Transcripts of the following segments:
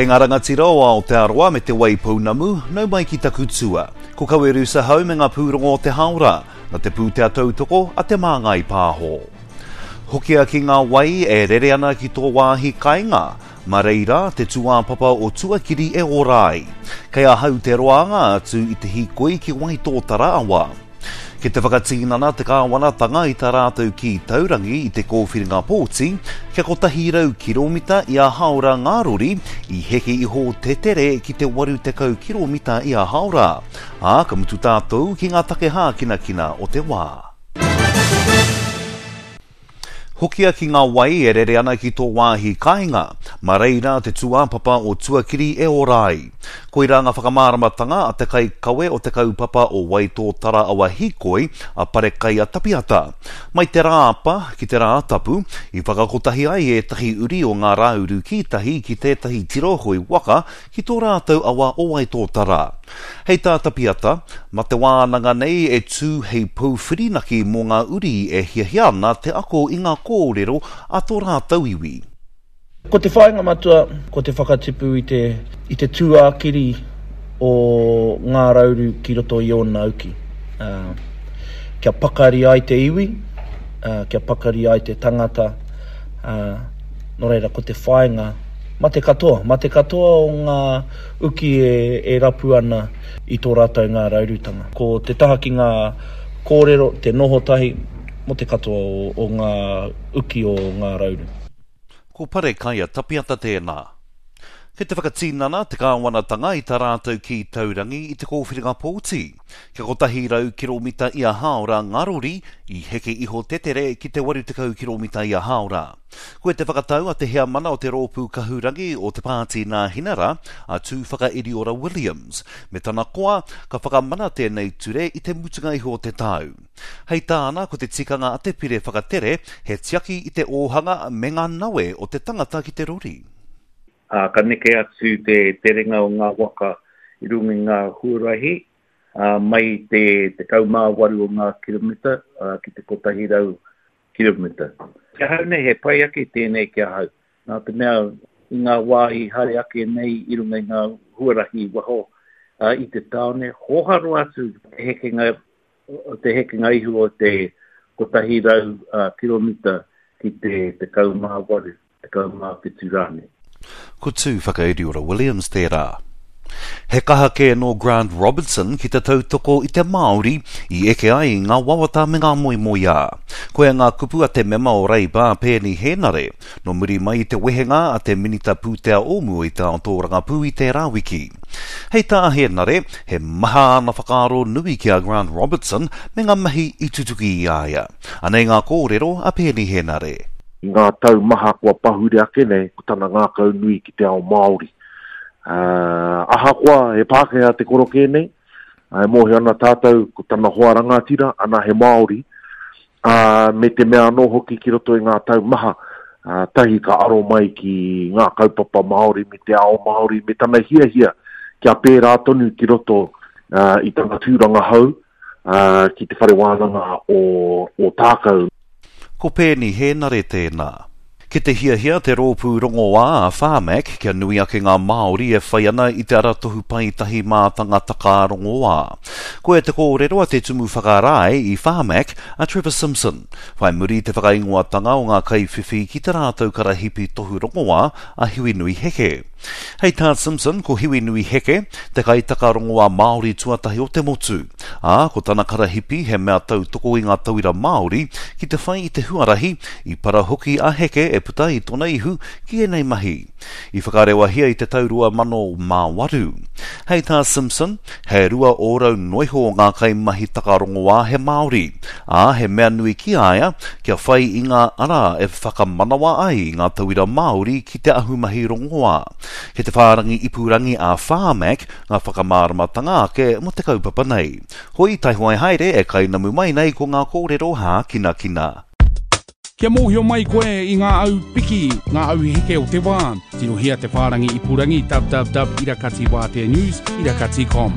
Kei ngā rangatira o Aotearoa me Te Waipounamu, nau mai ki taku tua. Ko Kawerusa Hau me ngā pūrongo o te haora, na te pūtea tautoko a Te Māngai Pāho. Hokia ki ngā wai e rere ana ki tō wāhi kainga, ma reira te tūāpapa o tuakiri e ora ai. Kei ahau te roanga atu i te hīkoi ki Waitōtara awa. Ki te whakatinana te kāwanatanga i tā rātou kī taurangi i te kōwhiringa pōti, kia 100 kiromita ia haora ngā rori, i heke iho te tere ki te 80 kiromita ia haora. Ā, ka mutu tātou ki ngā take hākinakina o te wā. Hokia ki ngā wai e rere ana ki tō wāhi kāinga, mā reira te tūāpapa o tuakiri e ora ai. Koirā ngā whakamāramatanga a te kaikawe o te kaupapa o Waitōtara Awa Hīkoi, a Parekaia Tapiata. Mai te Rāapa ki te Rātapu, i whakakotahi ai ētahi uri o Ngā Rāuru Kītahi ki tētahi tiro hoe waka ki tō rātou awa o Waitōtara. Hei tā Tapiata, ma te wānanga nei e tū hei pou whirinaki mō ngā uri e hiahia ana te ako i ngā kōrero a tō rātou iwi. Ko te whāinga matua, ko te whakatipu i te, i te tūākiri o Ngā Rauru ki roto i ōna uki. Ā, kia pakari ai te iwi, ā, kia pakari ai te tangata, ā, nō reira ko te whāinga, ma te katoa, ma te katoa o ngā uki e rapu ana i tō rātou ngāraurutanga. Ko te taha ki ngā kōrero, te noho tahi mō te katoa o ngā uki o Ngā Rauru. Ko Parekaia Tapiata tēnā. Kei te whakatinana te kāwanatanga i tā rātou kī taurangi i te kōwhiringa pōti. Kia 100 kiromita ia hāora ngā rori, i heke iho te tere ki te 80 kiromita ia hāora. Koe te whakatau a te heamana o te Rōpū Kahurangi o te Pāti Nāhinara, a Tūwhakairiora Williams, me tana koa, ka whakamana tēnei ture i te mutunga iho o te tau. Hei tāna, ko te tikanga a te pire whakatere, he tiaki i te ōhanga me ngā nawe o te tangata ki te rori. Ā, ka neke atu te terenga o ngā waka i runga i ngā huarahi, ā, mai i te 18 o ngā kiromita ki te 100 kiromita. Ki ahau nei, he pai ake tēnei ki ahau, nā te mea i ngā wā i haere ake nei i runga i ngā huarahi i waho i te tāone, hōhā roa atu te hekenga, te hekenga iho o te 100 kiromita ki te 18. 17 rānei. Ko Tūwhakairiora Williams tērā. He kaha kē nō Grant Robertson ki te tautoko i te Māori i eke ai ngā wawata me ngā moemoeā. Koia ngā kupu a te mema o Reipa a Peeni Hēnare, nō muri mai i te wehenga a te Minita Pūtea o mua i te ao tōrangapū i tērā wiki. Hei tā Hēnare, he maha āna whakaaro nui ki a Grant Robertson me ngā mahi i tutuki i a ia. Anei ngā kōrero a Peeni Hēnare. I ngā tau maha kua pahure ake nei, ko tana ngākau nui ki te ao Māori. Ā, ahakoa he Pākehā te korokē nei, e mōhio ana tātou ko tana hoa rangatira, ana he Māori, ā, me te mea anō hoki ki roto i ngā tau maha, ā, tahi ka aro mai ki ngā kaupapa Māori me te ao Māori me tana hiahia kia pērā tonu ki roto i tana tūranga hou, ā, ki te whare wānanga o Ōtākou. Ko Peeni Hēnare tēnā. Ki te hiahia te rōpū rongoā a Pharmac kia nui ake ngā Māori e whai ana i te aratohu paetahi mātanga takā rongoā. Koia te kōrero a te Tumu Whakarae i Pharmac, a Trevor Simpson, whai muri i te whakaingoatanga o ngā kaiwhiwhi ki te rātou karahipi tohu rongoā a Hiwinui Heke. Hei tā Simpson, ko Hiwinui Heke te kaitaka rongoā Māori tuatahi o te motu, ā, ko tana karahipi he mea tautoko i ngā tauira Māori ki te whai i te huarahi, i para hoki a Heke e puta i tona ihu ki ēnei mahi. I whakarewahia i te tau 2008. Hei tā Simpson, he 2% noiho o ngā kaimahi taka rongoā he Māori, ā, he mea nui ki a ia kia whai i ngā ara e whakamanawa ai i ngā tauira Māori ki te ahumahi rongoā. Kei te whārangi ipurangi a Pharmac ngā whakamāramatanga ake mō te kaupapa nei. Hoi, taihoai haere e kainamu mai nei ko ngā kōrero hākinakina. Kia mōhio mai koe i ngā au piki, ngā au heke o te wā, tirohia te whārangi ipurangi www irakatiwāteanews irakati com.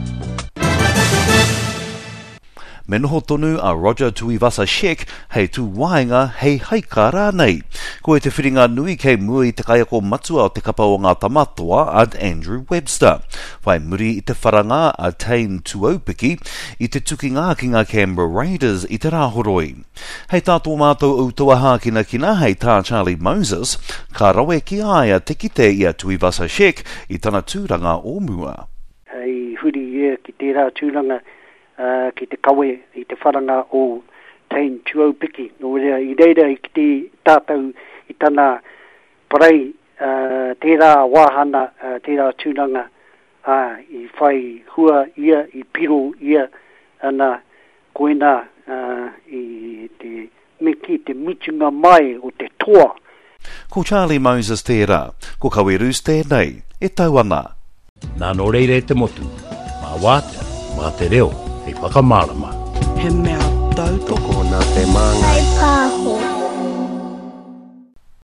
Me noho tonu a Roger Tuivasa-Sheck hei tūwaenga, hei haika rānei. Koe te whiringa nui kei mua i te kaiako matua o te kapa o ngā Tama Toa a Andrew Webster. Whai muri i te wharanga a Tane Tuaupiki i te tukinga ki ngā Canberra Raiders i te Rāhoroi. Hei tā tō mātou ūtaua hākinakina, hei tā Charlie Moses, ka rawe ki a ia te kite i a Tuivasa-Sheck i tana tūranga o mua. I huri ia ki tērā tūranga ki te kawe i te wharanga o Tane Tuaupiki. Nō reira, i reira i kite tātou i tana parei tērā wāhana, tērā tūranga, ā, i whai hua ia, i piro ia, ana, koinā i te, me kī, te mutunga mai o te toa. Ko Charlie Moses tērā, ko Kawe Roos tēnei, e tau ana. Nā nō reira e te motu, mā wātea, mā te reo hei whakamārama. He mea tautoko. Tokona te māngai. Whai pāho.